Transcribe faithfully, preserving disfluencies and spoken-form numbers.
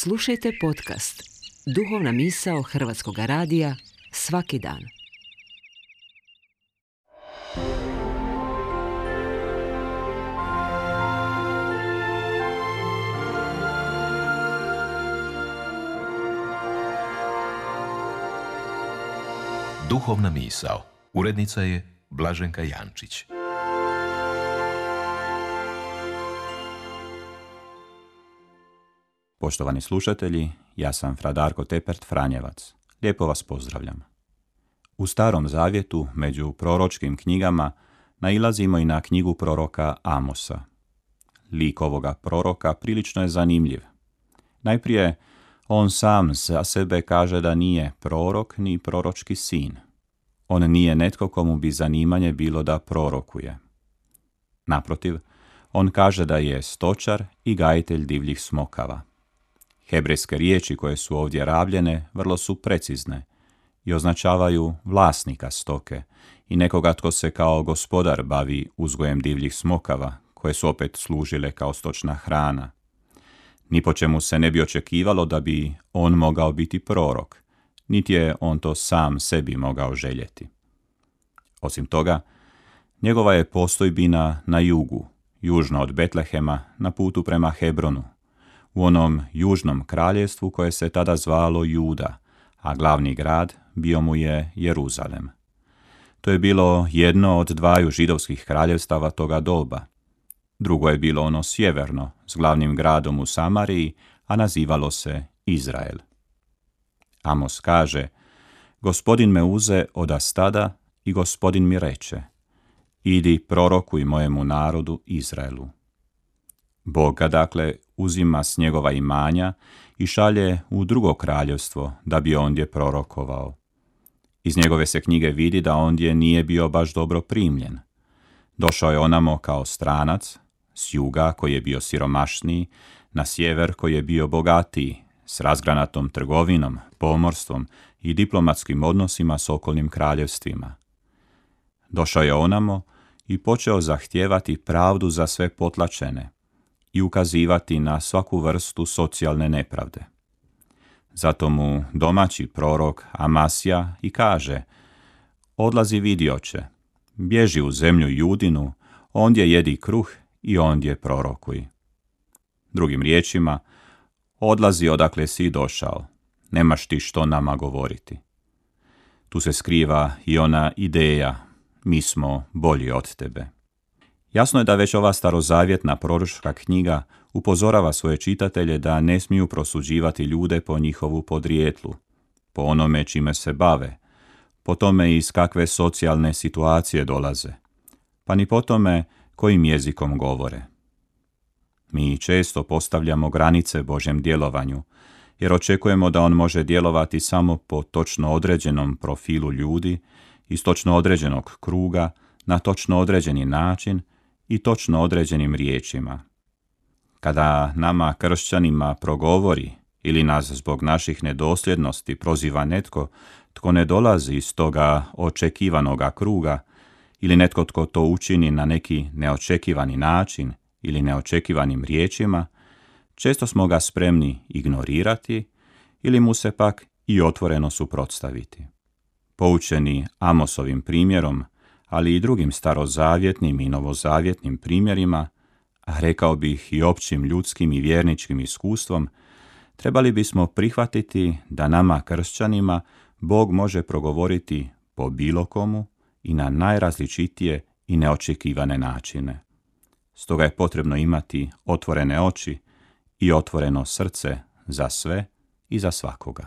Slušajte podcast Duhovna misao Hrvatskog radija svaki dan. Duhovna misao. Urednica je Blaženka Jančić. Poštovani slušatelji, ja sam fra Darko Tepert Franjevac. Lijepo vas pozdravljam. U Starom zavjetu, među proročkim knjigama, nailazimo i na knjigu proroka Amosa. Lik ovoga proroka prilično je zanimljiv. Najprije, on sam za sebe kaže da nije prorok ni proročki sin. On nije netko komu bi zanimanje bilo da prorokuje. Naprotiv, on kaže da je stočar i gajitelj divljih smokava. Hebrejske riječi koje su ovdje rabljene vrlo su precizne i označavaju vlasnika stoke i nekoga tko se kao gospodar bavi uzgojem divljih smokava, koje su opet služile kao stočna hrana. Ni po čemu se ne bi očekivalo da bi on mogao biti prorok, niti je on to sam sebi mogao željeti. Osim toga, njegova je postojbina na jugu, južno od Betlehema, na putu prema Hebronu, u onom južnom kraljevstvu koje se tada zvalo Juda, a glavni grad bio mu je Jeruzalem. To je bilo jedno od dvaju židovskih kraljevstava toga doba. Drugo je bilo ono sjeverno, s glavnim gradom u Samariji, a nazivalo se Izrael. Amos kaže: Gospodin me uze oda stada i Gospodin mi reče: idi prorokuj mojemu narodu Izraelu. Bog ga dakle uzima s njegova imanja i šalje u drugo kraljevstvo da bi ondje prorokovao. Iz njegove se knjige vidi da ondje nije bio baš dobro primljen. Došao je onamo kao stranac, s juga koji je bio siromašniji, na sjever koji je bio bogatiji, s razgranatom trgovinom, pomorstvom i diplomatskim odnosima s okolnim kraljevstvima. Došao je onamo i počeo zahtijevati pravdu za sve potlačene i ukazivati na svaku vrstu socijalne nepravde. Zato mu domaći prorok Amasija i kaže: odlazi vidioče, bježi u zemlju Judinu, ondje jedi kruh i ondje prorokuj. Drugim riječima, odlazi odakle si došao, nemaš ti što nama govoriti. Tu se skriva i ona ideja: mi smo bolji od tebe. Jasno je da već ova starozavjetna proročka knjiga upozorava svoje čitatelje da ne smiju prosuđivati ljude po njihovu podrijetlu, po onome čime se bave, po tome iz kakve socijalne situacije dolaze, pa ni po tome kojim jezikom govore. Mi često postavljamo granice Božjem djelovanju, jer očekujemo da on može djelovati samo po točno određenom profilu ljudi, iz točno određenog kruga, na točno određeni način i točno određenim riječima. Kada nama kršćanima progovori ili nas zbog naših nedosljednosti proziva netko tko ne dolazi iz toga očekivanoga kruga, ili netko tko to učini na neki neočekivani način ili neočekivanim riječima, često smo ga spremni ignorirati ili mu se pak i otvoreno suprotstaviti. Poučeni Amosovim primjerom, ali i drugim starozavjetnim i novozavjetnim primjerima, a rekao bih i općim ljudskim i vjerničkim iskustvom, trebali bismo prihvatiti da nama kršćanima Bog može progovoriti po bilo komu i na najrazličitije i neočekivane načine. Stoga je potrebno imati otvorene oči i otvoreno srce za sve i za svakoga.